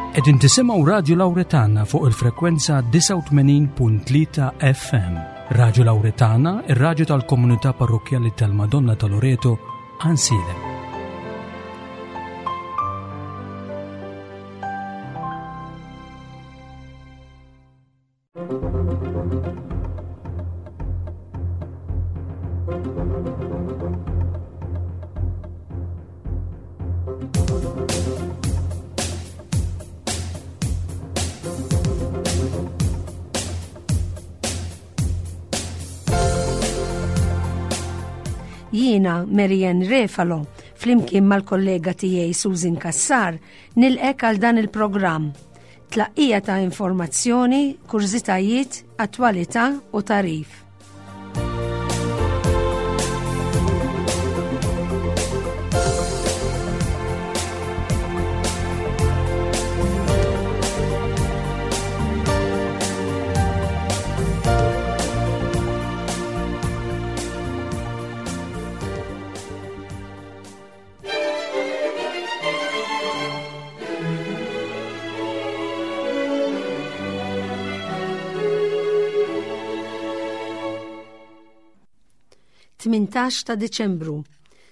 Qegħdin tisimgħu Radju Lawretana fuq il-frekwenza 89.3 FM. Radju Lawretana, ir-radju tal-komunità parrokkjali tal-Madonna ta' Loreto, Ansilem. Jiena Marianne Refalo, flimkien mal-kollega tiegħi Susan Kassar, nilqek għal dan il-programm. Tlaqqija ta' informazzjoni, kurżitajiet, attwalità u tagħrif. 18 ta' Diċembru,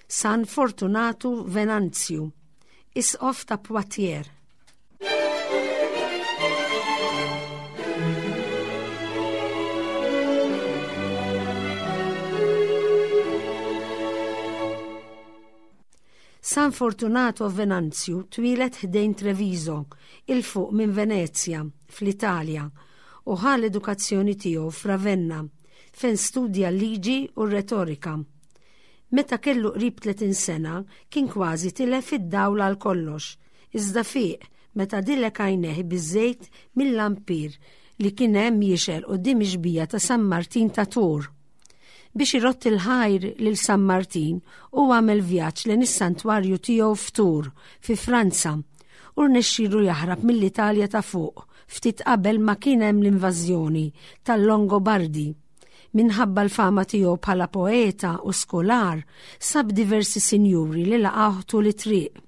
San Fortunatu Venanzju, Isqof ta' Poitiers. San Fortunato Venanzju twieled ħdejn Treviso, 'il fuq minn Venezja, fl-Italja, u ħa l-edukazzjoni tiegħu f'Ravenna, fejn studja l-liġi u r-retorika. Meta kellu qrib 30 sena, kien kważi tilef id-dawl għal kollox, iżda fieq meta dilek għajnejh biż-żejt mil-lampir li kien hemm jixgħel quddiem ix-xbieha ta' San Martin ta' Tours. Biex irott il-ħajr lil San Martin, hu għamel vjaġġ lejn is-santwarju tiegħu f'Tours, fi Franza, u rnexxielu jaħrab mill-Italja ta' fuq ftit qabel ma kien hemm l-invażjoni tal-Longobardi. Minħabba l-fama tiegħu bħala poeta u skolar, sab diversi sinjuri li laqgħuh tul it-triq.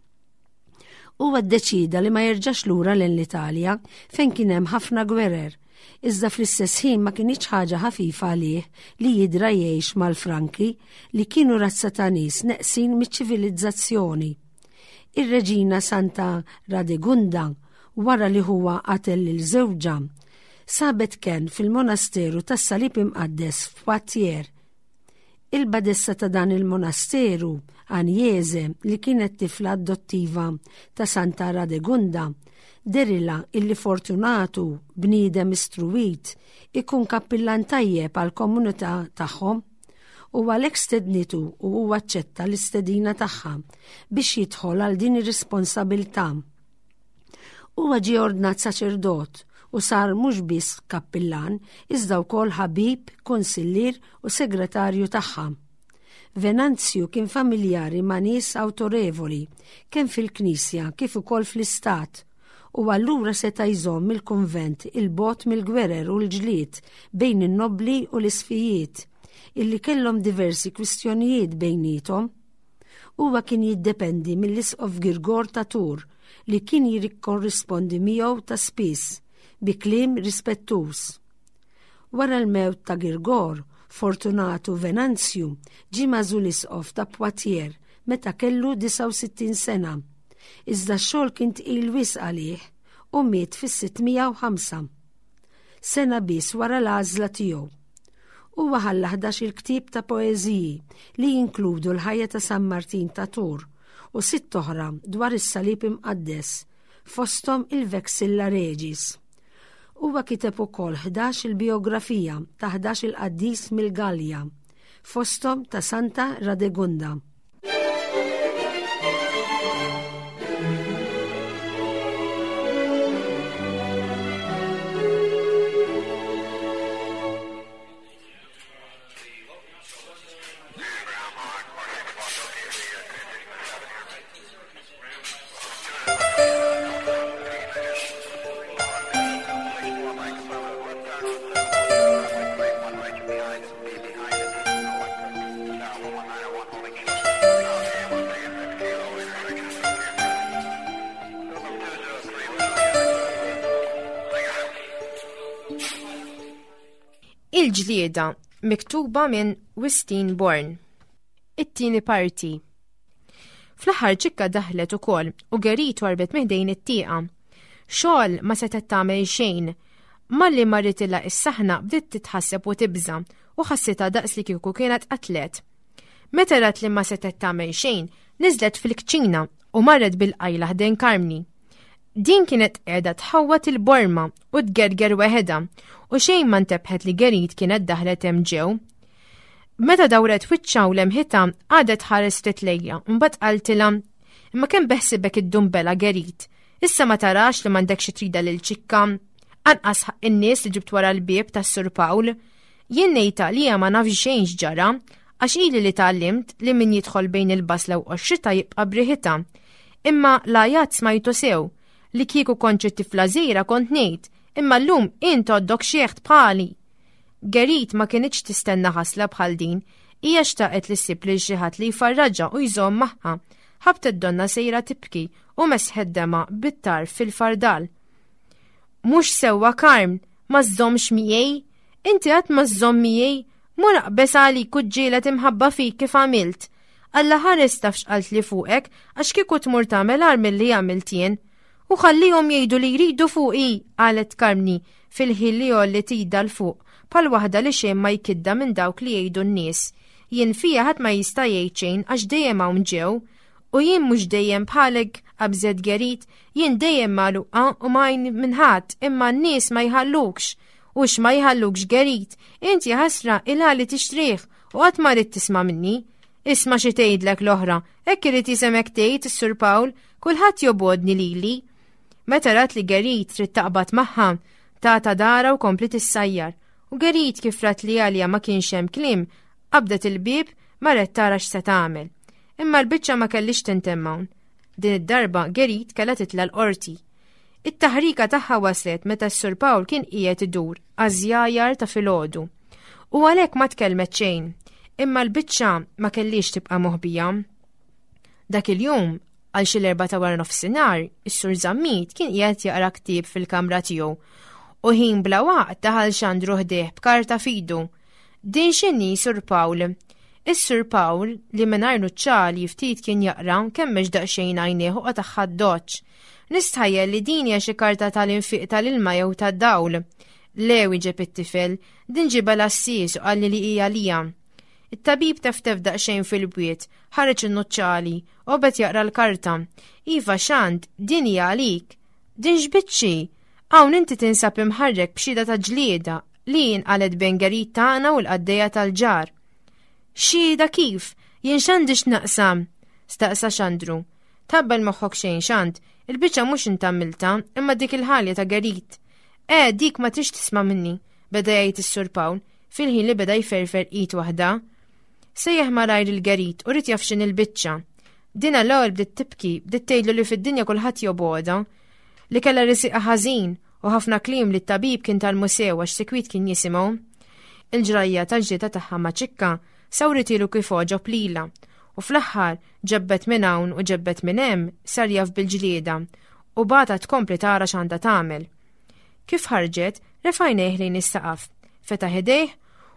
Huwa ddeċieda li ma jerġax lura lejn l-Italja fejn kien hemm ħafna gwerer, iżda fl-istess ħin ma kinitx ħaġa ħafifa għalih li jidra jgħix mal-Franki li kienu razza ta' nies neqsin miċ-ċivilizzazzjoni. Ir-reġina Santa Radegunda, wara li ħuha qatel lil żewġha, sabet kenn fil-monasteru tas-Salib Imqaddes f'Poitiers Il-badessa ta' dan il-monasteru, Agnese, li kienet tifla adottiva ta' Santa Radegunda, derilha illi Fortunatu, bniedem istruwit, ikun kappillan tajjeb għall-komunità tagħhom u għalhekk stednitu u huwa aċċetta l-istedina tagħha biex jidħol għal din ir-responsabilità. Huwa ġie ordnat saċerdot u sar mhux biss kappillan, iżda wkoll ħabib, kunsillier u segretarju tagħha. Venanzju kien familjari ma' nies awtorevoli, kemm fil-Knisja kif ukoll fl-Istat, u allura seta' jżomm il-kunvent 'il bogħod mill-gwerer u l-ġlied bejn in-nobbli u l-isqfijiet, illi kellhom diversi kwistjonijiet bejniethom. Huwa kien jiddependi mill-Isqof Girgor ta' Tours li kien jirikkorrispondi miegħu ta' spiss bi kliem rispettuż. Wara l-mewt ta' Girgor, Fortunatu Venanzju ġie magħżul Isqof ta' Poitiers meta kellu 69 sena. Iżda x-xogħol kien tqil wisq għalih u miet fis-605. Sena biss wara l-għażla tiegħu. Huwa ħalla ħdax-il ktieb ta' poeżiji li jinkludu l-ħajja ta' San Martin ta' Tours u sitt oħra dwar is-Salib Imqaddes, fosthom il-Vexilla Regis. Huwa kiteb ukoll ħdax-il bijografija ta' ħdax-il qaddis mill-Gallja, fosthom ta' Santa Radegunda. Il-ġlieda, miktuba minn Wistin Born. It-tieni parti. Fl-aħħar ċikka daħlet ukoll u Gerit warbet miħdejn it-tieqa. Xogħol ma setgħet tagħmel xejn. Malli marritilha is-saħna bdiet titħasseb u tibża' u ħassitha daqs li kieku kienet qatlet. Meta rat li ma setgħet tagħmel xejn, niżlet fil-kċina u marret bil-qajla ħdejn Karmni. Din kienet qiegħda tħawwat il-borma u tgerger weħedha u xejn ma ntebħet li Gerit kienet daħlet hemm ġew. Meta dawret wiċċha u lemħitha għadet ħares ftit lejja u mbagħad qaltilha imma kemm beħsibek id-dumbela Gerit. Issa ma tarax li m'għandekx xi trida lil ċikka. Anqas ħaq in-nies li ġibt wara l-bieb tas-Sur Pawl. Jien ngħidha li ma nafx xejn x'ġara, għax ili li tgħallimt li min jidħol bejn il-basla u qoxritha jibqa' b'riħitha. Imma l-għajat smajtu sew, li kieku kont xi tifla żgħira kont ngħid, imma llum int għoddok xieħt bħali. Gerit ma kinitx tistenna ħasla bħal din, hija xtaqet li ssib lil xi ħadd li jfarraġha u jżomm magħha. Ħabtet donna sejra tibki u mesħet dema bit-tarf fil-fardal. Mhux sewwa Karm, ma żżommx miegħi? Inti qatt ma żżomm miegħi? Mur aqbeż għalik u ġġieled imħabba fik kif għamilt. Alla ħares taf x'qaltli fuqek għax kieku tmur tagħmel agħar milli għamilt jien. U ħallihom jgħidu li jridu fuqi, qalet Karmni fil-ħin li għolliet idha 'l fuq bħal waħda li xejn ma jkiddha minn dawk li jgħidu n-nies. Jien fija ħadd ma jista' jgħid xejn għax dejjem hawn ġew. U jien mhux dejjem bħalek, qabżet Gerit, jien dejjem magħluqa u ma għajn minn ħadd imma n-nies ma jħallukx. U x'ma jħallukx Gerit, int jaħasra il-għali tixtrih u qatt ma ridt tisma' minni. Isma' xi tgħidlek l-oħra, hekk irid jisemek tgħid is-Sur Pawl, kulħadd jobgħodni lili. Meta rat li Gerit trid taqbad magħha, tata dara u kompliet issajjar. U Gerit kif rat li għalija ma kienx hemm kliem, qabdet il-bieb marret tara x'se tagħmel. Imma l-biċċa ma kellix tintemm hawn. Din id-darba Gerit kellha titla' l-qorti. It-taħrika tagħha waslet meta s-Sur Pawl kien qiegħed idur għaż-żjajar ta' filgħodu. U għalhekk ma tkellmet xejn, imma l-biċċa ma kellix tibqa' moħbija. Dak il-jum, għal xi l-erba' ta' wara nofsinhar, is-Sur Zammit kien qiegħed jaqra ktieb fil-kamra tiegħu u ħin bla waqt daħal Xandru ħdejh b'karta f'idu. Din x'inhi, Sur Pawl? Is-Sur Pawl, li mingħajr nuċċali ftit kien jaqra, kemmex daqsxejn għajnejh u qatagħha d-doċċ. Nistħajjel li din hija xi karta tal-infiq tal-ilma jew tad-dawl. Le, wieġeb it-tifel, din ġibha l-għassies u qalli li hija għalija. It-tabib teftef daqsxejn fil-bwiet, ħareġ in-nuċċali, u bed jaqra l-karta. Iva, Xand, din hija għalik. Din x'biċċi? Hawn inti tinsab imħarrek b'xhieda ta' ġlieda li inqalgħet bejn Gerit tagħna u l-qaddejja tal-ġar. Xhieda kif? Jien x'għandi x'naqsam? staqsa Xandru. Tħabbel moħħok xejn Xand, il-biċċa mhux int għamiltha, imma dik il-ħalja ta' Gerit. Eh, dik ma trix tisma' minni, beda jgħid is-Sur Pawl, fil-ħin li beda jferfer id waħda. Sejjaħ malajr il-Gerit u rid jaf x'inhi l-biċċa. Dina l-ewwel bdiet tibki, bdiet tgħidlu li fid-dinja kulħadd jobgħodha, li kellha risiqa ħażin u ħafna kliem li t-tabib kien tal-musew għax sikwit kien jisimgħu. Il-ġrajja tal-ġlieda tagħha ma' Ċikka sawritilu kif għoġob lilha u fl-aħħar ġebbet minn hawn u ġebbet minn hemm sar jaf bil-ġlieda u bagħatha tkompli tara x'għandha tagħmel. Kif ħarġet, refa' għajnejh lejn is-saqaf, fetaħ idejh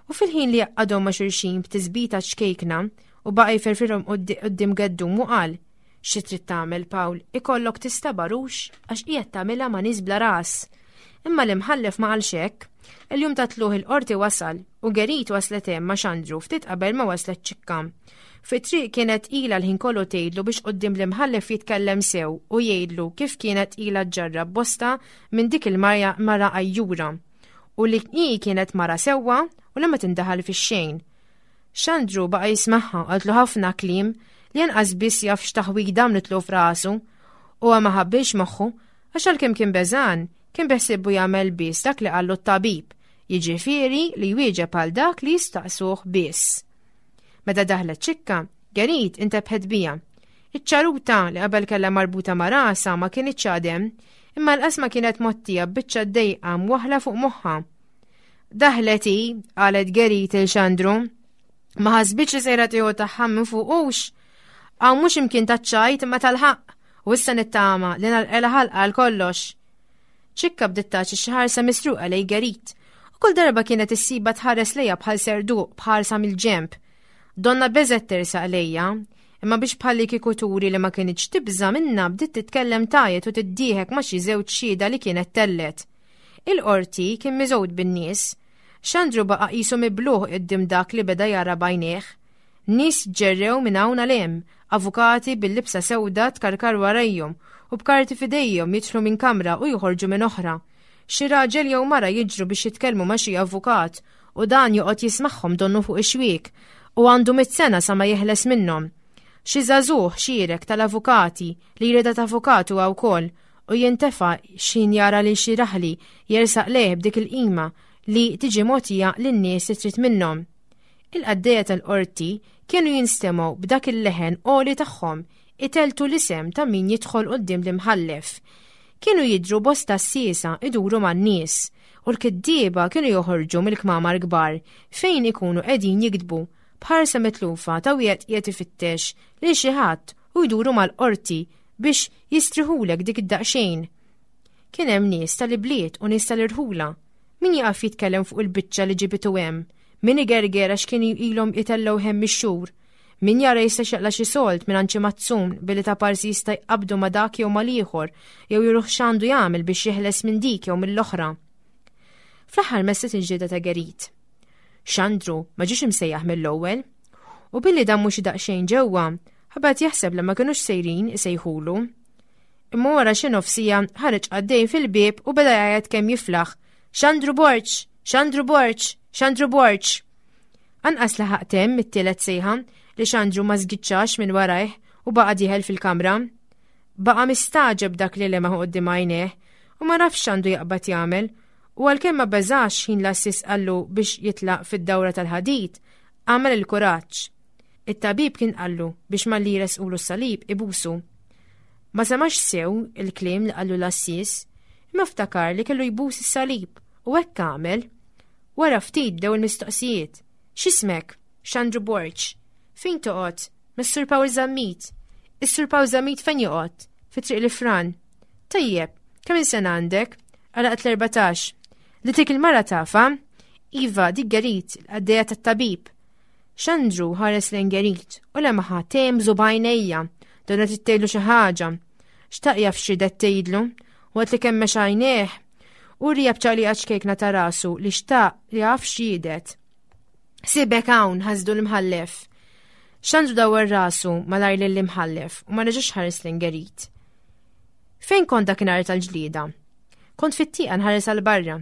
u fil-ħin li għaqqadhom ma' xulxin b'tisbita ċkejkna u baqa' jferfirhom quddiem geddum u qal, Xi trid tagħmel, Pawl, ikollok tistabar hux għax qiegħed tagħmilha ma' nies bla ras. Imma l-imħallef ma qalx hekk. Il-jum ta' tlugħ il-qorti wasal u Gerit waslet hemm ma' Xandru ftit qabel ma waslet Ċikka. Fit-triq kienet ilha l-ħin kollu tgħidlu biex quddiem l-imħallef jitkellem sew u jgħidlu kif kienet ilha ġġarrab bosta minn dik il-mara għajjura u li hi kienet mara sewwa u li ma tindaħal fix-xejn. Xandru baqa' jismagħha qaltlu ħafna kliem li anqas biss jaf x'taħwida għamlitlu f'rasu. Huwa ma ħabbilx moħħu għax għalkemm kien beżgħan, kien beħsiebbu jagħmel biss dak li qallu t-tabib, jiġifieri li jwieġeb għal dak li jistaqsuh biss. Meta daħlet Ċikka, Gerit intebħet biha. Iċ-ċaruta li qabel kellha marbuta ma' rasha ma kinitx għad hemm, imma l-qas ma kienet mgħottija b'biċċa dejqa mwaħħla fuq moħħha. Daħlet hi, qalet Gerit il Xandru. Ma ħasbitx li sejra tieħu tagħha minn fuqux. Hawn mhux imkien taċ-ċajt imma tal-ħaqq, u issa nittama li nalqela ħalqa għal kollox. Ċikka bdiet tagħti xi ħarsa misruqa lej Gerit. Kull darba kienet issiba tħares lejha bħal serduq bħarsa mill-ġenb. Donna beżgħet tersaq lejja, imma biex bħalli kieku turi li ma kinitx tibża' minnha bdiet titkellem tgħajjet u tiddieħek ma' xi żewġ xhieda li kienet tellet. Il-qorti kien miżgħud bin-nies. Xandru baqa' qisu mibluh quddiem dak li beda jara b'għajnejh. Nies ġerrew minn hawn għal hemm, avukati bil-libsa sewda tkarkar warajhom u b'karti f'idejhom jidħlu minn kamra u joħorġu minn oħra. Xi raġel jew mara jiġru biex jitkellmu ma' xi avukat u dan joqgħod jismagħhom donnu fuq ix-xwiek u għandu mitt sena sa ma jeħles minnhom. Xi żagħżugħ xierek tal-avukati li jridha t'avukat huwa wkoll u jintefa' x'ħin jara lil xi raħli jersaq lejh b'dik il-qima li tiġi mogħtija lin-nies li trid minnhom. Il-qaddejja tal-qorti kienu jinstemgħu b'dak il-leħen għoli tagħhom itelltu l-isem ta' min jidħol quddiem l-imħallef. Kienu jidhru bosta għassiesa iduru man-nies, u l-kittieba kienu joħorġu mill-kmamar kbar fejn ikunu qegħdin jiktbu, b'ħarsa mitlufa ta' wieħed qiegħed ifittex lil xi ħadd u jduru mal-qorti biex jistriħulek dik id-daqsxejn. Kien hemm nies tal-ibliet u nies tal-irħula. Min jaqaf jitkellem fuq il-biċċa li ġibitu hemm, min igerger għax kien ilhom itellgħu hemm ix-xhur, min jara jistax jaqla' xi sold mingħand xi mazzun billi ta' parsi jista' jqabbdu ma' dak jew mal-ieħor jew juruh x'għandu jagħmel biex jeħles minn dik jew mill-oħra. Fl-aħħar messet il-ġlieda ta' Gerit. Xandru ma ġiex imsejjaħ mill-ewwel u billi damu xi daqsxejn ġewwa, ħabat jaħseb li ma kinux sejrin isejħulu. Imma wara xi nofsija ħareġ għaddej fil-bieb u beda jgħajjat kemm jiflaħ. Xandru Borġ! Xandru Borġ! Xandru Borġ! Anqas laħaq temm it-tielet sejħa li Xandru ma żgiċċax minn warajh u baqa' dieħel fil-kamra. Baqa' mistagħġeb dak li lemaħ quddiem għajnejh u ma nafx x'għandu jaqbad jagħmel u għalkemm ma beżax ħin l-għassies qallu biex jitlaq fid-dawra tal-ħadid, għamel il-kuraġġ. It-tabib kien qallu biex malli jressqulu s-salib ibusu. Ma semax sew il-kliem li qallu l-għassies, imma ftakar li kellu jbus is-salib u hekk għamel. Wara ftit bdew il-mistoqsijiet. X'ismek? Xandru Borg. Fejn toqgħod? Mas-Sur Pawl Zammit. Is-Sur Pawl Zammit fejn joqgħod? Fi Triq l-Ifran. Tajjeb, kemm il-sena għandek? Għalaqt l-14. Li tik il-mara tafa? Iva, dik Gerit, l-qaddejja tat-tabib. Xandru ħares lejn Gerit u lemaħa temżu b'għajnejja, donna trid tgħidlu xi ħaġa. Xtaq jaf x'ridet tgħidlu, waqt li kemmex għajnejh u rija b'ċaqliqa ċkejkna ta' rasu li xtaq li jaf x'jiedet. Sibek hawn ħasdu l-imħallef. Xandru dawar rasu malajr lill-imħallef u ma reġax ħares lejn Gerit. Fejn kont dakinhar tal-ġlieda? Kont fit-tieqa nħares għal barra.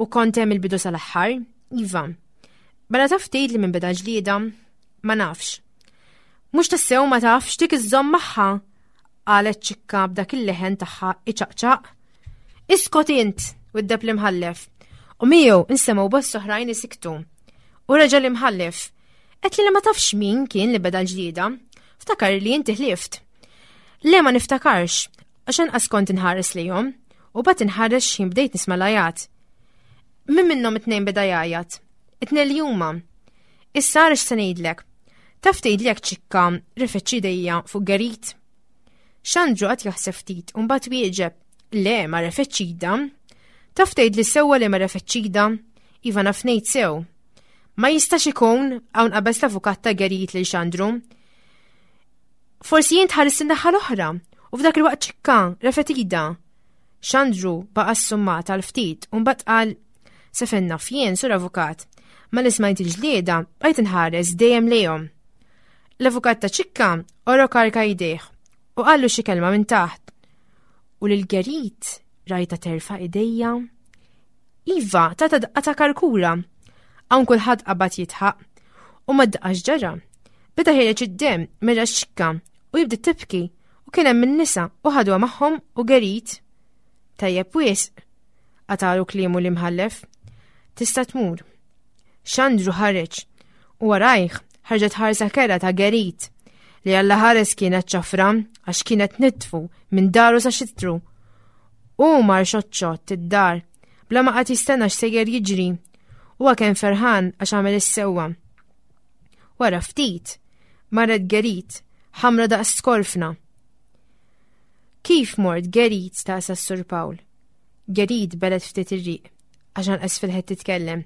U kont hemm il-bidu sal-aħħar? Iva. Mela taf tgħid li minn beda ġlieda? Ma nafx. Mhux tassew ma tafx dik iżżomm magħha, qalet ċikka b'dak il-leħen tagħha iċaqċaq. Iskot int, widdeb l-imħallef. U miegħu nsemgħu bost oħrajn isiktu. U reġa' l-imħallef. Qed li ma tafx min kien li beda l-ġlieda. Ftakar li inti ħlift. Le ma niftakarx, għax anqas kont inħares lejhom, u bat inħares x'ħin bdejt nisma' l-għajat. Min minnhom it-tnejn beda jgħajjat? It-tnejn li huma. Issa ara x'se ngħidlek. Taf tgħidli jekk ċikka refetx idejja fuq Gerit? Xandru qed jaħseb ftit u mbagħad wieġeb, le ma refetx ida. Taf tgħidli sewwa li ma refetx ida? Iva naf ngħid sew. Ma jistax ikun hawn qabeż l-avukat ta' Gerit lil Xandru. Forsi jien tħares in-naħa l-oħra u f'dak il-waqt ċikka refet ida. Xandru baqa' ssummat għal ftit u mbagħad qal se fejn naf jien sur avukat. Ma li smajt il-ġlieda bqajt inħares dejjem lejhom. L-avukat ta' ċikka orok arka jdejh u qallu xi kelma minn taħt. U lil Gerit rajta terfa' idejja. Iva, tata daqqa ta' karkura. Hawn kulħadd qabad jitħaq u ma daqax ġara. Beda ħireġ id-dem mera xikka u jibdi tibki U kien hemm in-nisa u ħaduha magħhom u Gerit. Tajjeb wisq, qatalu kliemu l-imħallef. Tista' tmur. Xandru ħareġ u warajh ħarġet ħarsa kera ta' Gerit li Alla ħares kienet ċafra għax kienet nitfu minn daru sa xitru. U mar xotxot id-dar bla ma qagħad jistenna x'sejjer jiġri. Huwa kien ferħan għax għamel is-sewwa. Wara ftit, marret Gerit, ħamra daqs skorfna. Kif mort Gerit staqsa s-Sur Pawl. Gerit belet ftit ir-riq. għax anqas fil-ħed titkellem.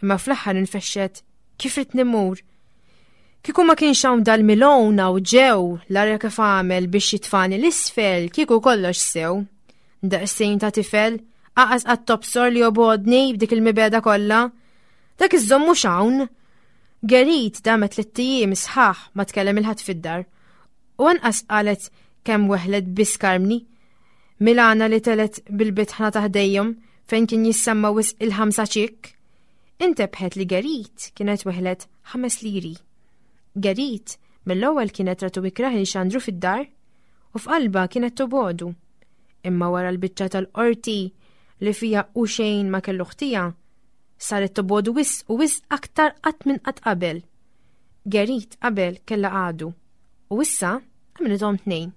Imma fl-aħħar infexxet kif rid nimur. Kieku ma kienx hawn dal-milona u ġew l-arja kif għamel biex jitfani l-isfel, kieku kollox sew. Daqsejn ta' tifel, aqas qatt tobsor li jobodni b'dik il-mibeda kollha. Dak iż-żomm mhux hawn. Gerit damet li t-tijiem sħaħ ma tkellem il-ħadd fid-dar. U anqas qalet kemm weħlet biss Karmni. Milana li telet bil-bitħna ta' ħdejhom fejn kien jissemma wisq il-ħamsa ċikk. Intebħet li Gerit kienet weħlet ħames liri. Gerit mill-ewwel kienet ratu ikrah il xandru fid-dar u f'qalba kienet tobodu. Imma wara l-biċċa tal-qorti li fija u xejn ma kellu ħtija, saret tobodu wisq u wisq aktar qatt minn qatt qabel. Gerit qabel kella għadu u issa għamlithom tnejn.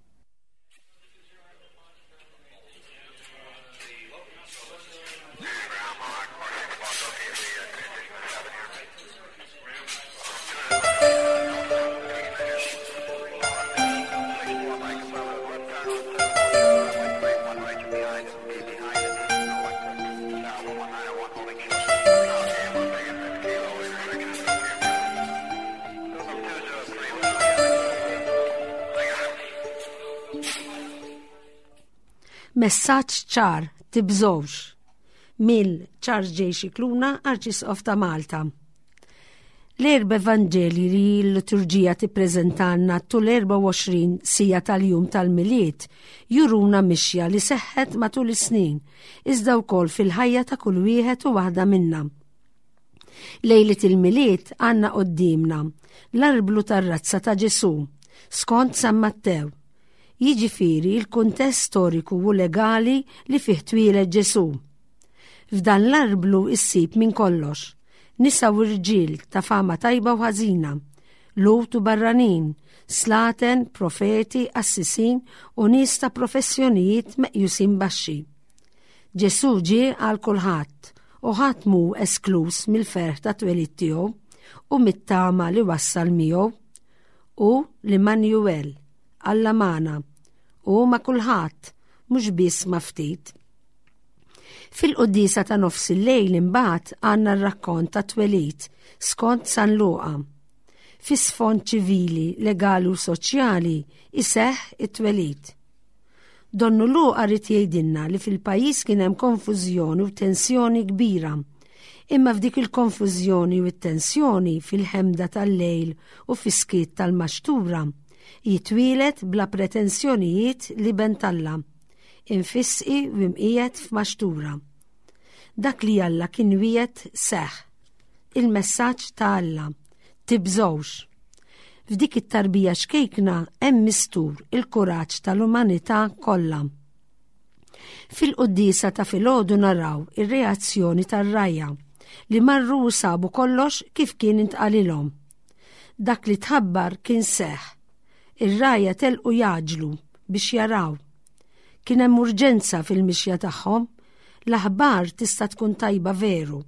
Messaġġ ċar, tibżgħux. Mill Charles J. Scicluna, Arċisqof ta' Malta. L-erba' Evanġelji li l-liturġija tippreżentalna tul 24 sija tal-jum tal-Milied juruna mixja li seħħet matul is-snin, iżda wkoll fil-ħajja ta' kull wieħed u waħda minna. Lejliet il-Milied għandna quddiemna l-arblu tar-razza ta' Ġesù, skont San Mattew. Jiġifieri l-kuntest storiku u legali li fih twieled Ġesù. F'dan l-arblu issib minn kollox, nisa u rġiel ta' fama tajba u ħażina, Lhud u barranin, slaten, profeti, qassisin u nies ta' professjonijiet meqjusin baxxi. Ġesù ġie għal kulħadd u ħadd mhu eskluż mill-ferħ ta' twelid tiegħu u mit-tama li wassal miegħu. Hu l-Immanuel, Alla magħna, u ma' kulħadd, mhux biss ma' ftit. Fil-quddiesa ta' nofs il-lejl imbagħad għandna r-rakkont ta' twelid skont San Luqa. Fi sfond ċivili, legali u soċjali iseħħ it-twelid. Donnu Luqa ried jgħidilna li fil-pajjiż kien hemm konfużjoni u tensjoni kbira. Imma f'dik il-konfużjoni u t-tensjoni fil-ħemda tal-lejl u fis-skiet tal-maxtura, jitwieled bla pretensjonijiet l-Iben t'Alla, imfissqi u imqiegħed f'maxtura. Dak li Alla kien wiegħed seħħ. Il-messaġġ ta' Alla, tibżgħux. F'dik it-tarbija xkejkna hemm mistur il-kuraġġ tal-umanità kollha. Fil-quddiesa ta' filgħodu naraw ir-reazzjoni tar-rgħajja li marru u sabu kollox kif kien intqalilhom. Dak li tħabbar kien seħħ. Ir-rgħajja telqu jgħaġġlu biex jaraw. Kien hemm urġenza fil-mixja tagħhom. L-aħbar tista' tkun tajba veru,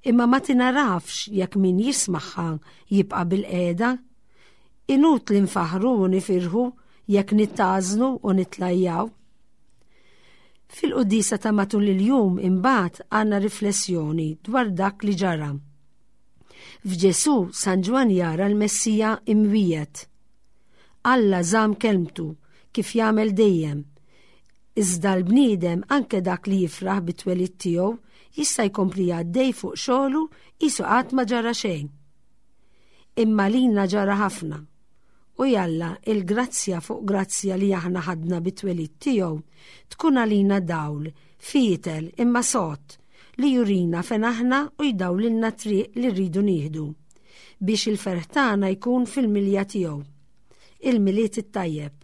imma ma tingħarafx jekk min jismagħha jibqa' bilqiegħda. Inutli nfaħħru u nifirħu jekk nittgħażnu u nitlajjaw. Fil-quddiesa ta' matul il-jum imbagħad għandna riflessjoni dwar dak li ġara. F'Ġesù San Ġwann jara l-Messija imwiegħed. Alla żamm kelmtu, kif jagħmel dejjem. Iżda l-bniedem, anke dak li jifraħ bit-twelid tiegħu, jista' jkompli għaddej fuq xogħlu qisu qatt ma ġara xejn. Imma lilna ġara ħafna. U jalla il-grazzja fuq grazzja li aħna ħadna bit-twelid tiegħu tkun għalina dawl, fietel imma sod, li jurina fejn aħna u jdawlilna t-triq li rridu nieħdu biex il-ferħ tagħna jkun fil-milja tiegħu. Il-Milied it-tajjeb.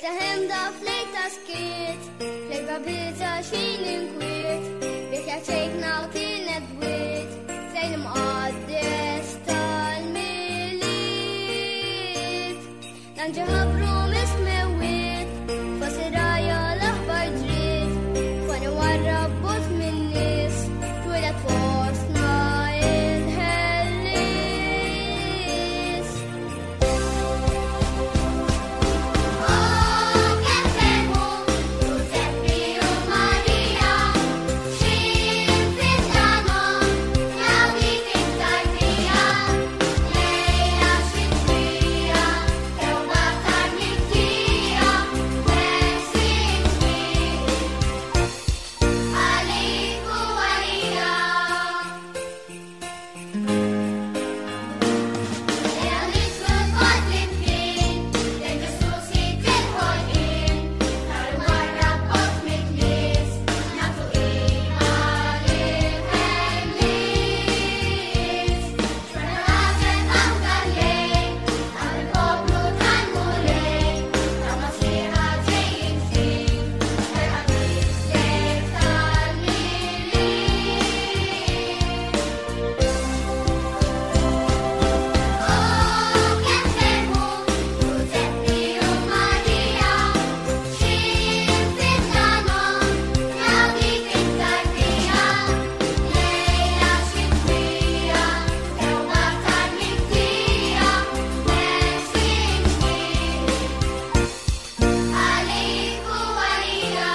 Lejta ħemda f'lejta skiet, f'lejta biża' xejn inkwiet, biex ċejkna kienet dwiet, fejn imqaddes tal-miliet. L-anġel ħabru mis-smewwiet, fost ir-rgħajja l-aħbar ġriet, foni warrab bogħod min-nies, twieled fostna il-Ħellies. Oh, kemm ferħu Ġużeppi u Marija, x'ħin fid-dlamhom raw dik it-tarbija. Lejla xitwija, tewba tar-mibkija, ħelsien kbir għalik u għalija. Ejja nixtru lkoll flimkien, lejn Ġesù Sid il-ħolqien, nar warrab bogħod mit-nies, nagħtu qima lill-Ħellies. Xorta l-għaġeb hawn dal-lejl, hawn il-poplu tal-Mulej, ta' Masiħa ġej ġdid, ferħa tislet tal-Milied. Oh, kemm ferħu Ġużeppi u Marija, x'ħin fid-dlamhom raw dik it-tarbija. Lejla xitwija, tewba tar-mibkija, ħelsien kbir għalik u għalija.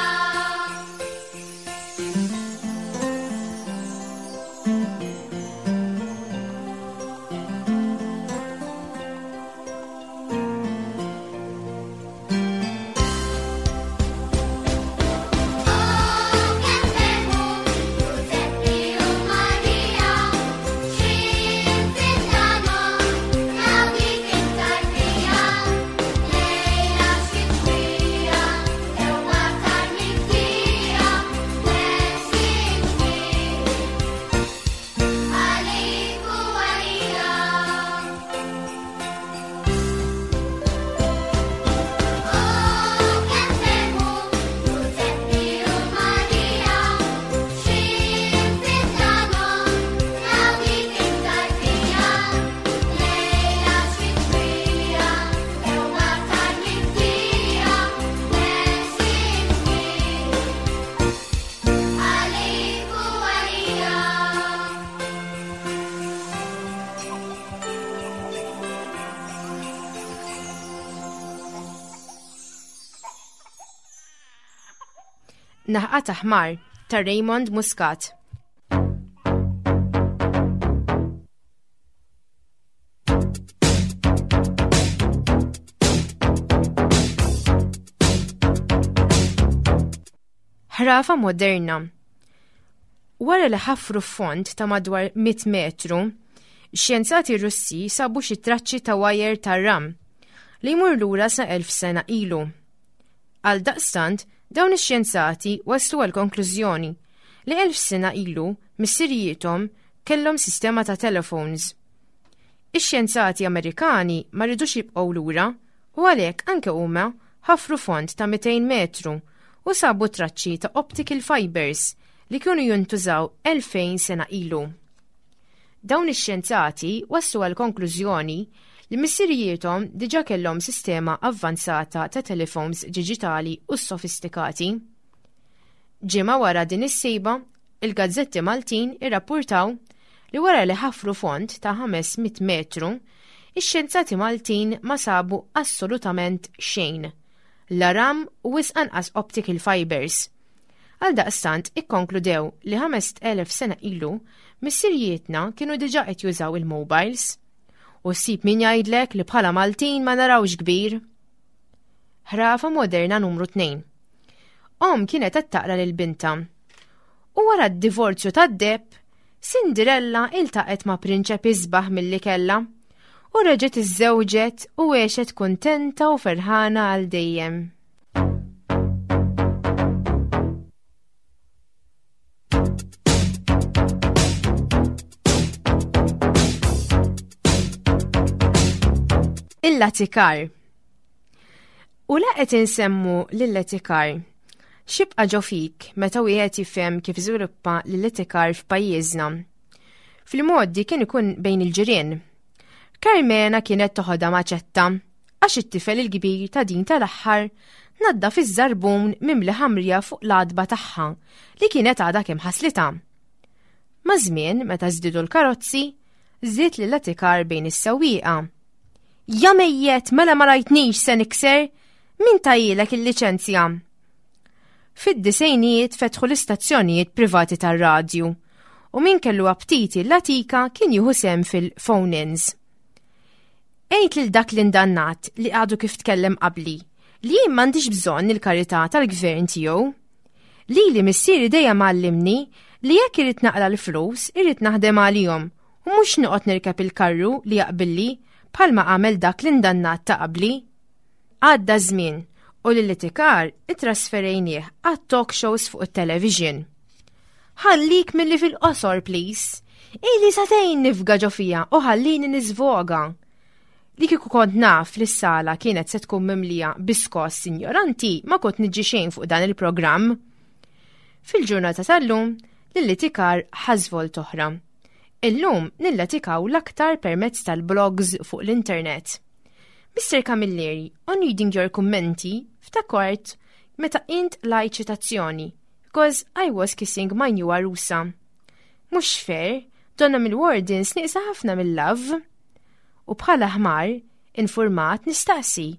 Oh, kemm ferħu Ġużeppi u Marija, x'ħin fid-dlamhom raw dik it-tarbija. Lejla xitwija, tewba tar-mibkija, ħelsien kbir għalik u għalija. Oh, kemm ferħu Ġużeppi u Marija, x'ħin fid-dlamhom raw dik it-tarbija. Lejla xitwija, tewba tar-mibkija, ħelsien kbir għalik u għalija. Naħqa ta' ħmar ta' Raymond Muscat. Ħrafa moderna. Wara li ħafru fond ta' madwar 100 metru, xjenzati Russi sabu xi traċċi ta' wajer tar-ram li jmur lura sa' 1000 sena ilu. Għaldaqstant, dawn ix-xjenzati waslu għall-konklużjoni li 1000 sena ilu missirijiethom kellhom sistema ta' telephones. Ix-xjenzati Amerikani ma ridux jibqgħu lura u għalhekk anke huma ħafru fond ta' 200 metru u sabu traċċi ta' optical fibers li kienu jintużaw 2000 sena ilu. Dawn ix-xjenzati waslu għall-konklużjoni li missirijiethom diġà kellhom sistema avvanzata ta' telefons diġitali u sofistikati. Ġimgħa wara din is-sejba, il-gazzetti Maltin irrappurtaw li wara li ħafru fond ta' 500 metru, ix-xjenzati Maltin ma sabu assolutament xejn, la ram u wisq anqas optical fibers. Għaldaqstant ikkonkludew li 5,000 sena ilu missirijietna kienu diġà qed jużaw il-mobiles. U ssib min jgħidlek li bħala Maltin ma narawx kbir. Ħrafa moderna numru 2. Omm kienet qed taqra lil bintha. U wara d-divorzju tad-deheb, Cinderella iltaqgħet ma' prinċep isbaħ milli kellha u reġgħet iżżewġet u għexet kuntenta u ferħana għal dejjem. Il-latikar. U la qed insemmu lill-etikar, x'jibqa' ġo fik meta wieħed jifhem kif żviluppa l-etikar f'pajjiżna? Fil-modi kien ikun bejn il-ġirien. Carmena kienet toħodha maċetta għax it-tifel il-kbir ta' din tal-aħħar naddaf iż-żarbun mimli ħamrija fuq l-għatba tagħha li kienet għadha kemm ħaslitha. Maż-żmien meta żdiedu l-karozzi, żdied l-etikar bejn is-sewwieqa. Ja mejjet, mela ma rajtnix se nikser, min tajilek il-liċenzja? Fid-disejnijiet fetħu l-istazzjonijiet privati tar-radju u min kellu aptiti l-latika kien jieħu sehem fil-phone-ins. Għid lil dak l-indannat li għadu kif tkellem qabli li jien m'għandix bżonn il-karità tal-gvern tiegħu. Lili missieri dejjem għallimni li jekk irid naqla l-flus irid naħdem għalihom u mhux noqgħod nirkeb il-karru li jaqbilli bħalma għamel dak l-indannat ta' qabli. Għadda żmien u l-litikar ittrasferejnieh għat-talk shows fuq it-television. Ħallik milli fil-qosor, please. Ili satejn nifga ġo fija u ħallini niżvoga. Li kieku kont naf li s-sala kienet se tkun mimlija biskos sinjoranti ma kont niġi xejn fuq dan il-programm. Fil-ġurnata tal-lum, l-litikar ħażvolt oħra. Illum nillatikaw l-aktar permezz tal-blogs fuq l-internet. Mr. Camilleri, on reading your kummenti, ftakart meta int lajt ċitazzjoni, because I was kissing my new arusa. Mhux fair, donna mill-wardens nieqsa ħafna mill-love. U bħala ħmar, informat nistaqsi.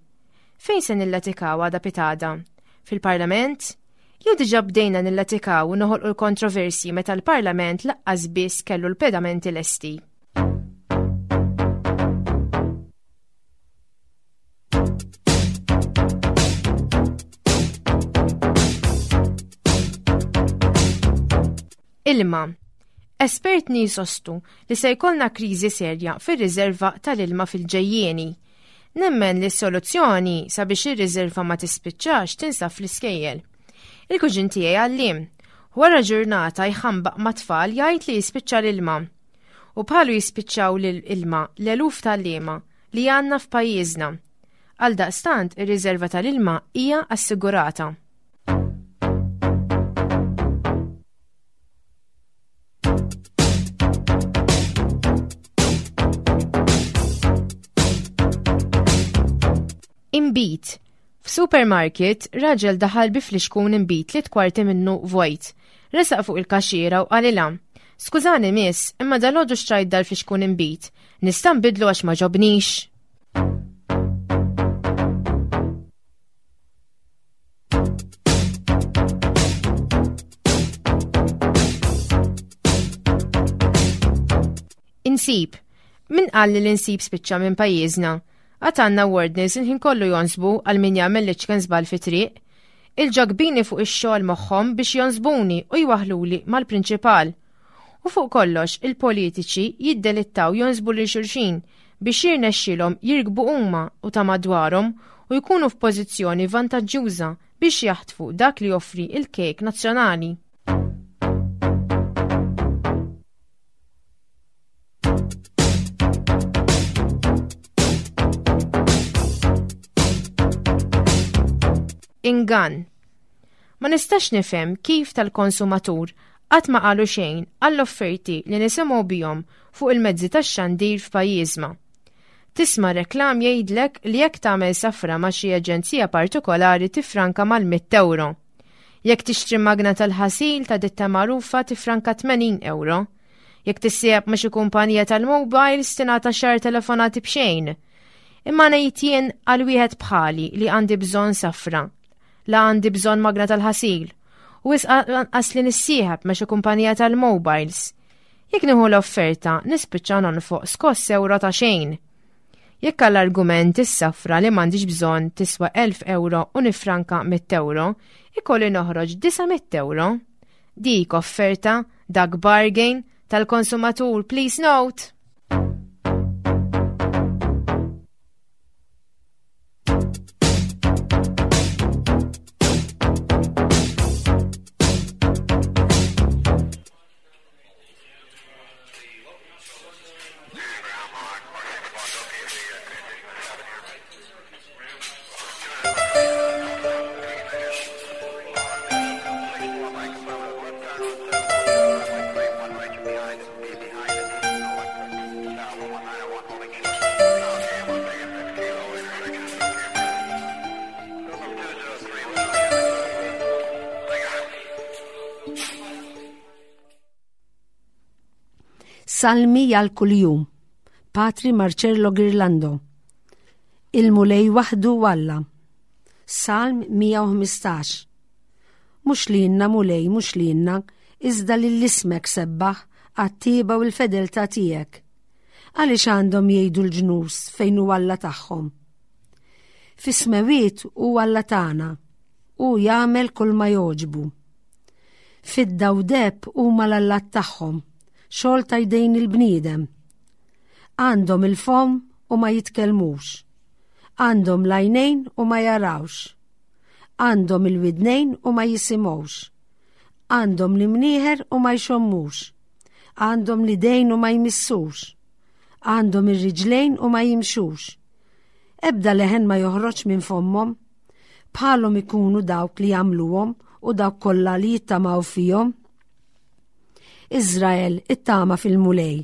Fejn se nillatikaw għada pitada? Fil-parlament? Jew diġà bdejna nillatikaw u noħolqu l-kontroversji meta l-Parlament laqqas biss kellu l-pedamenti lesti? Ilma. Espertni jisostu li se jkollna kriżi serja fir-riserva tal-ilma fil-ġejjieni. Nemmen li s-soluzzjoni sabiex ir-riserva ma tispiċċax tinsab fl-iskejjel. Il-kuġin tiegħi għalliem. Wara ġurnata jħambaq mat-tfal jgħid li jispiċċa l-ilma. U bħalu jispiċċaw l-ilma l-eluf tal-liema li għandna f'pajjiżna. Għaldaqstant ir-riserva tal-ilma hija assigurata. Inbid. F'supermarket, raġel daħal bi flixkun inbid li tkwarti minnu vojt. Resaq fuq il-kaxxiera u qalilha, Skużani miss, imma dalgħodu xtrajt dal-flixkun inbid. Nista' nbidlu għax ma ġobnix? Insib. Min qal li l-insib spiċċa minn pajjiżna? Għad għandna wardens il-ħin kollu jonsbu għal min jagħmel l-iċken żball fi triq. Il-ġakbini fuq ix-xogħol moħħhom biex jonsbuni u jwaħluli mal-prinċipal. U fuq kollox, il-politiċi jiddelittaw jonsbu lil xulxin biex jirnexxilhom jirkbu huma u ta' madwarhom u jkunu f'pożizzjoni vantaġġjuża biex jaħtfu dak li joffri l-kejk nazzjonali. Ingann. Ma nistax nifhem kif tal-konsumatur qatt ma qalu xejn għall-offerti li nisimgħu bihom fuq il-mezzi tax-xandir f'pajjiżma. Tisma' reklam jgħidlek li jekk tagħmel safra ma' xi aġenzija partikolari tiffranka mal-mitt ewro. Jekk tixtri magna tal-ħasil ta' ditta magħrufa tiffranka 80 ewro. Jekk tissieħeb ma' xi kumpanija tal-mobiles tingħata xahar telefonati b'xejn. Imma ngħid jien għal wieħed bħali li għandi bżonn safra, la għandi bżonn magna tal-ħasil, u wisq lanqas li nissieħeb ma' xi kumpanija tal-mobiles. Jekk nieħu l-offerta, nispiċċa nonfoq skoss ewro ta' xejn. Jekk għall-argument is-safra li m'għandix bżonn tiswa 1000 ewro u nifranka 100 ewro, ikolli noħroġ 900 ewro. Dik offerta, dak bargain, tal-konsumatur, please note! Salmi għal kuljum. Patri Marcello Girlando. Il-Mulej waħdu Alla. Salm 115. Mhux lilna Mulej, mhux lilna, iżda lil ismek sebbaħ għat-tieba u l-fedeltà tiegħek. Għaliex għandhom jgħidu l-ġnus fejn hu Alla tagħhom? Fis-smewiet hu Alla tagħna, hu jagħmel kull ma jogħġbu. Fidda u deheb huma l-allat tagħhom, xogħol ta' jdejn il-bniedem. Għandhom il-fomm u ma jitkellmux. Għandhom l-għajnejn u ma jarawx. Għandhom il-widnejn u ma jisimgħux. Għandhom l-imnieħer u ma jxommux. Għandhom l-idejn u ma jmissux. Għandhom ir-riġlejn u ma jimxux. Ebda leħen ma joħroġ minn fommhom. Bħalhom ikunu dawk li jagħmluhom u dawk kollha li jittamaw fihom. Iżrael ittama fil-Mulej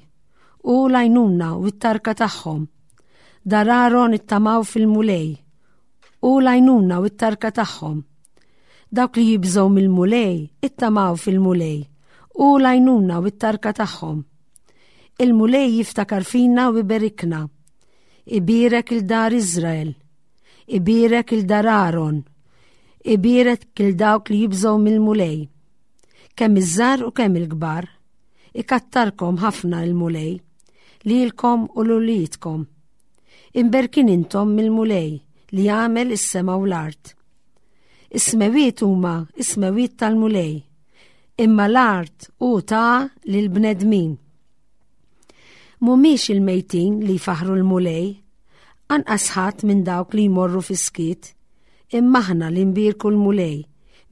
u l-għajnuna u t-tarka tagħhom. Dar Aaron ittamaw fil-Mulej u l-għajnuna u t-tarka tagħhom. Dawk li jibżgħu mill-Mulej ittamaw fil-Mulej u l-għajnuna u t-tarka tagħhom. Il-Mulej jiftakar fina u iberikna. Ibierek il-dar Iżrael. Ibierek il-dar Aaron. Ibierek il dawk li jibżgħu mill-Mulej. Kemm iż-żgħar u kemm il-kbar. Ikattarkom ħafna il-Mulej, lilkom u l-uliedkom. Imberkin intom mill-Mulej li għamel is-sema u l-art. Is-smewiet huma is-smewiet tal-Mulej, imma l-art hu ta lill-bnedmin. Mhumiex il-mejtin li jfaħħru l-Mulej, anqas ħadd minn dawk li jmorru fis-skiet, imma aħna li nbierku l-Mulej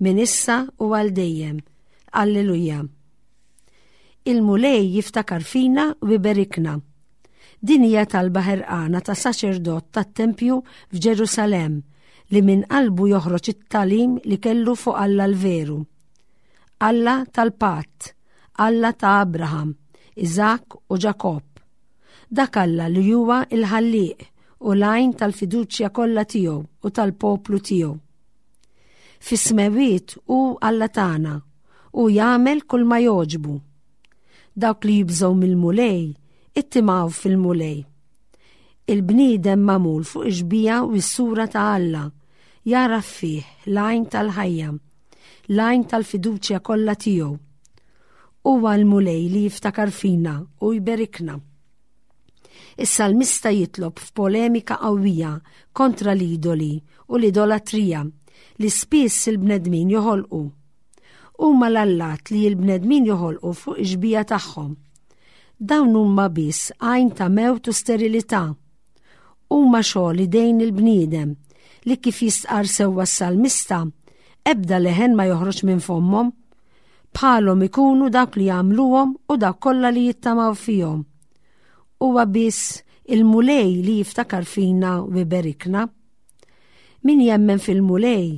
minn issa u għal dejjem. Alleluja. Il-Mulej jiftakar fina u iberikna. Din hija talba ħerqana ta' saċerdot tat-tempju f'Ġerusalemm li minn qalbu joħroġ it-tagħlim li kellu fuq Alla l-veru. Alla tal-patt, Alla ta' Abraham, Iżakk u Ġakobb. Dak Alla li huwa l-Ħallieq u l-għajn tal-fiduċja kollha tiegħu u tal-poplu tiegħu. Fis-smewiet hu Alla tagħna u jagħmel kull ma jogħġbu. Dawk li jibżgħu mill-Mulej ittimgħu fil-Mulej. Il-bniedem magħmul fuq ix-xbieha u s-sura ta' Alla jagħraf fih l-għajn tal-ħajja l-għajn tal-fiduċja kollha tiegħu. Huwa l-Mulej li jiftakar fina u jberikna. Is-salmista jitlob f'polemika qawwija kontra l-idoli u l-idolatrija li spiss il-bnedmin joħolqu. Huma l-allat li l-bnedmin joħolqu fuq ix-xbieha tagħhom. Dawn huma biss għajn ta' mewt u sterilità. Huma xogħol idejn il-bniedem li kif jistqarr sewwa s-salmista, ebda leħen ma joħroġ minn fommhom. Bħalhom ikunu dawk li jagħmluhom u dawk kollha li jittamaw fihom. Huwa biss il-Mulej li jiftakar fina u iberikna. Min jemmen fil-Mulej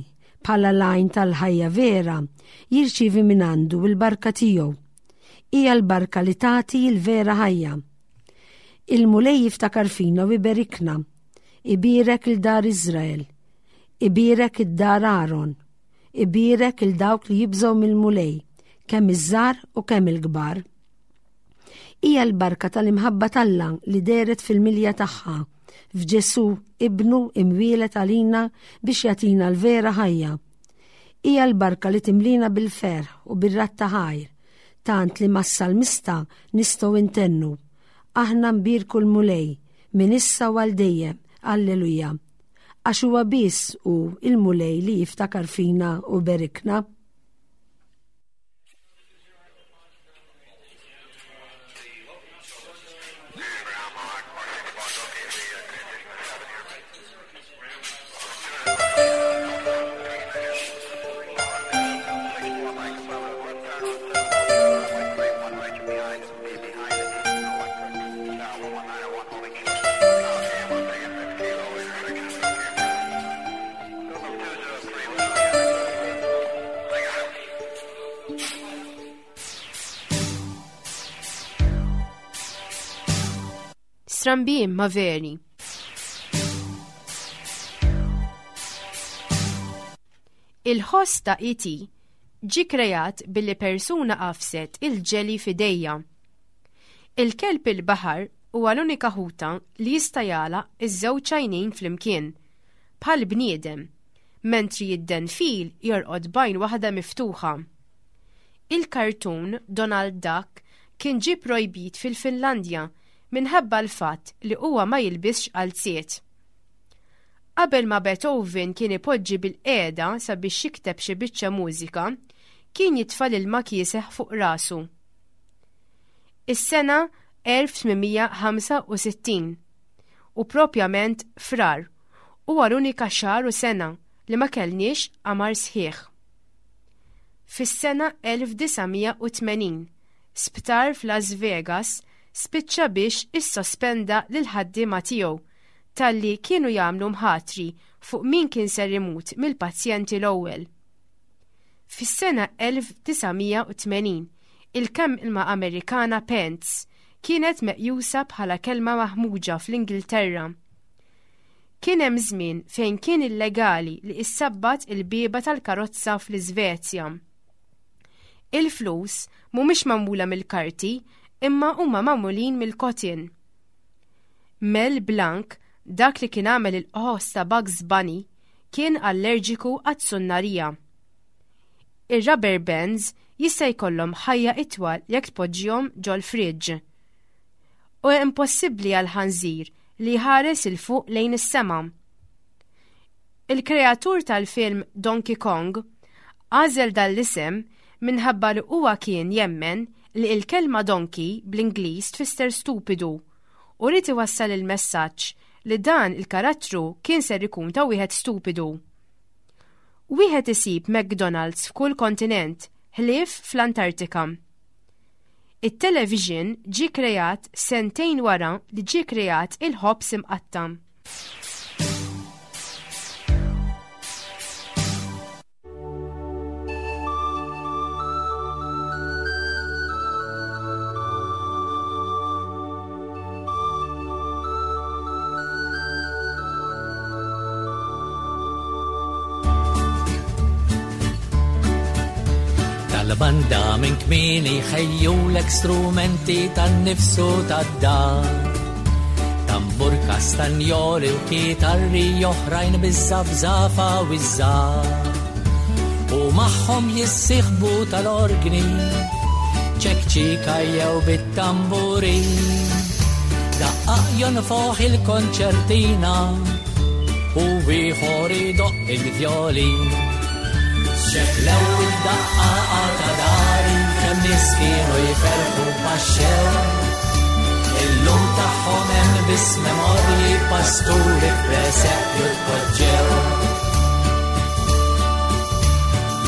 bħala l-għajn tal-ħajja vera jirċievi minn għandu l-barka tiegħu. Hija l-barka li tagħti l-vera ħajja. Il-Mulej jiftakar fina u iberikna. Ibierek il dar Iżrael. Ibierek id-dar Aaron. Ibierek il dawk li jibżgħu mill-Mulej, kemm iż-żgħar u kemm il-kbar. Hija l-barka tal-imħabba t'Alla li dehret fil-milja tagħha f'Ġesù ibnu imwielet għalina biex jagħtina l-vera ħajja. Hija l-barka li timlina bil-ferħ u bir-radd ta' ħajr, tant li mas-salmista nistgħu ntennu, Aħna nbierku l-Mulej minn issa u għal dejjem, Alleluja. Għax huwa biss hu l-Mulej li jiftakar fina u berikna. Strambi imma veri. Il-ħoss ta' ET ġie kreat billi persuna għafset il-ġeli f'idejha. Il-kelb il-baħar huwa l-unika ħuta li jista' jagħlaq iż-żewġ għajnejn flimkien, bħal bniedem, mentri id-denfil jorqod b'għajn waħda miftuħa. Il-kartun Donald Duck kien ġie projbit fil-Finlandja minħabba l-fatt li huwa ma jilbisx qalziet. Qabel ma Beethoven kien ipoġġi bilqiegħda sabiex jikteb xi biċċa mużika, kien jitfa' l-ilma kieseħ fuq rasu. Is-sena 1865, u propjament Frar, huwa l-unika xahar u sena li ma kellniex qamar sħiħ. Fis-sena 1980, sptar f'Las Vegas spiċċa biex issospenda lill-ħaddiema tiegħu talli kienu jagħmlu mħatri fuq min kien ser imut mill-pazjenti l-ewwel. Fis-sena 1980, il-kelma Amerikana pants kienet meqjusa bħala kelma maħmuġa fl-Ingilterra. Kien hemm żmien fejn kien illegali li issabbat il-bieba tal-karozza fl-Iżvezja. Il-flus mhumiex magħmula mill-karti imma huma magħmulin mill-cotton. Mel Blanc, dak li kien għamel il-qħos ta' Bugs Bunny, kien allerġiku għat-sunnarija. Ir-rubber bands jista' jkollhom ħajja itwal jekk tpoġġihom ġol-fridge. U impossibbli għal ħanżir li jħares 'il fuq lejn is-sema. Il-kreatur tal-film Donkey Kong għażel dan l-isem minħabba li huwa kien jemmen li l-kelma donkey bl-Ingliż tfisser stupidu u ried iwassal il-messaġġ li dan il-karattru kien ser ikun ta' wieħed stupidu. Wieħed isib McDonald's f'kull kontinent ħlief fl-Antartika. It-television ġie kreat sentejn wara li ġie kreat il-ħobż imqatta'. Tal-banda minn kmieni ħejjulek strumenti tan-nifsu tad-dar. Tambur kastanjoli u kitarri oħrajn biż-żafżafa u ż-żgħar. U magħhom jissieħbu tal-orgni, ċekċika jew bit-tamburin. Daqqaq jonfoħ il-konċertina u ieħor idoqq il-vjolin. Xeklew id-daqqa ta' dari kemm nies kienu jferħu paxxew. Illum tagħhom hemm biss memorji pasturi f'presepju tpoġġew.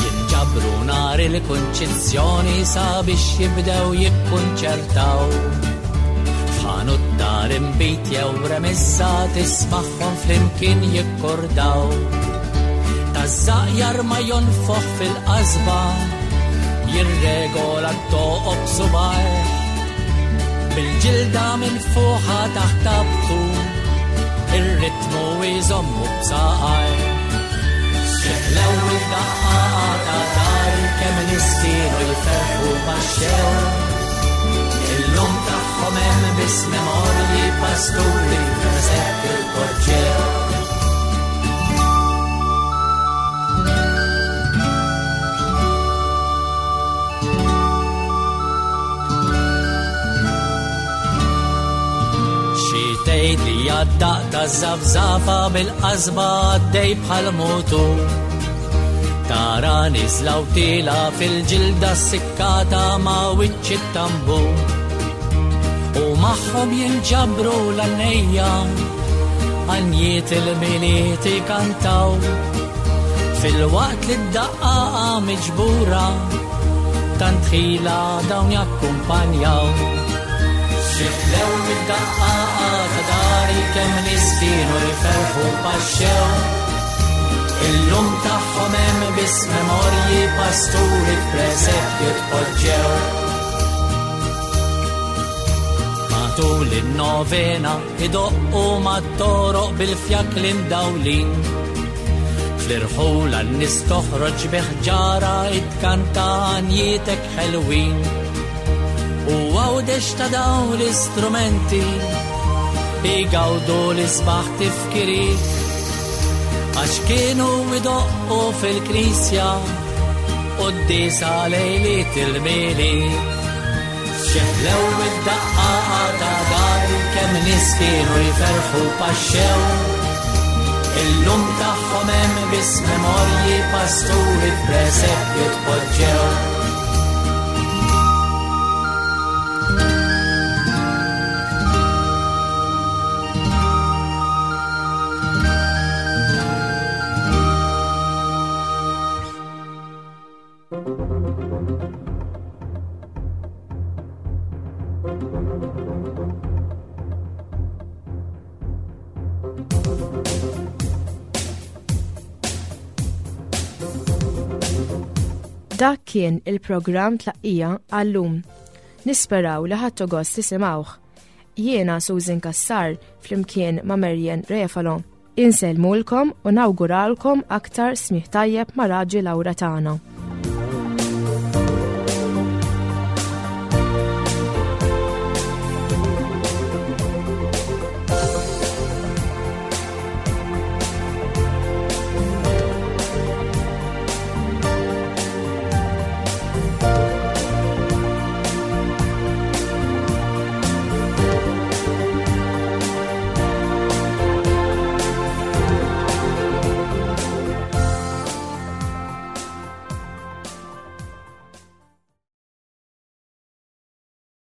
Jinġabru nhar il-kunċizzjoni sabiex jibdew jikkunċertaw. F'ħanut dar imbit jew remissa tismagħhom flimkien jikkordaw. Taż-żaqjar ma jonfoħ fil-qasba, jirregola t-toqob subgħajh. Bil-ġilda minn fuħa taħt tabtu, ir-ritmu jżommu b'saqajh. Xeħlew id-daqqa ta' dar kemm nies kienu jferħu paxxew. Illum tagħhom hemm biss memorji pasturi presepju tpoġġew. Xi tgħid li għad-daqq taż-żafżafa bil-qasba għaddej bħal mutur. Tara niżla u tila fil-ġilda sikkata ma' wiċċ it-tambur. U magħhom jinġabru l-għannejja għanjiet il-miliet ikantaw. Filwaqt li d-daqqa miġbura tant ħila dawn jakkumpanjaw. Xiflew id-daqqa ta' dari kemm nies kienu jferħu paxxew. Illum tagħhom hemm biss memorji pasturi f'presepju tpoġġew. Matul in-novena idoqqu mat-toroq bil-fjakli mdawlin. Fl-irħula n-nies toħroġ bi ħġara itkanta għanjietek ħelwin. U għawdex ta' dawn l-istrumenti igawdu l-isbaħ tifkiriet għax kienu idoqqu fil-knisja quddiesa lejliet il-Milied. Xeħlew id-daqqa ta' dari kemm nies kienu jferħu paxxew. Illum tagħhom hemm biss memorji pasturi f'presepju tpoġġew. Dak kien il-programm tlaqqija għallum. Nisperaw li ħadtu gost tisimgħuh. Jiena Susan Cassar flimkien ma' Marian Refalo. Insellmulkom u nawguralkom aktar smigħ tajjeb ma' Raġi Laura tagħna.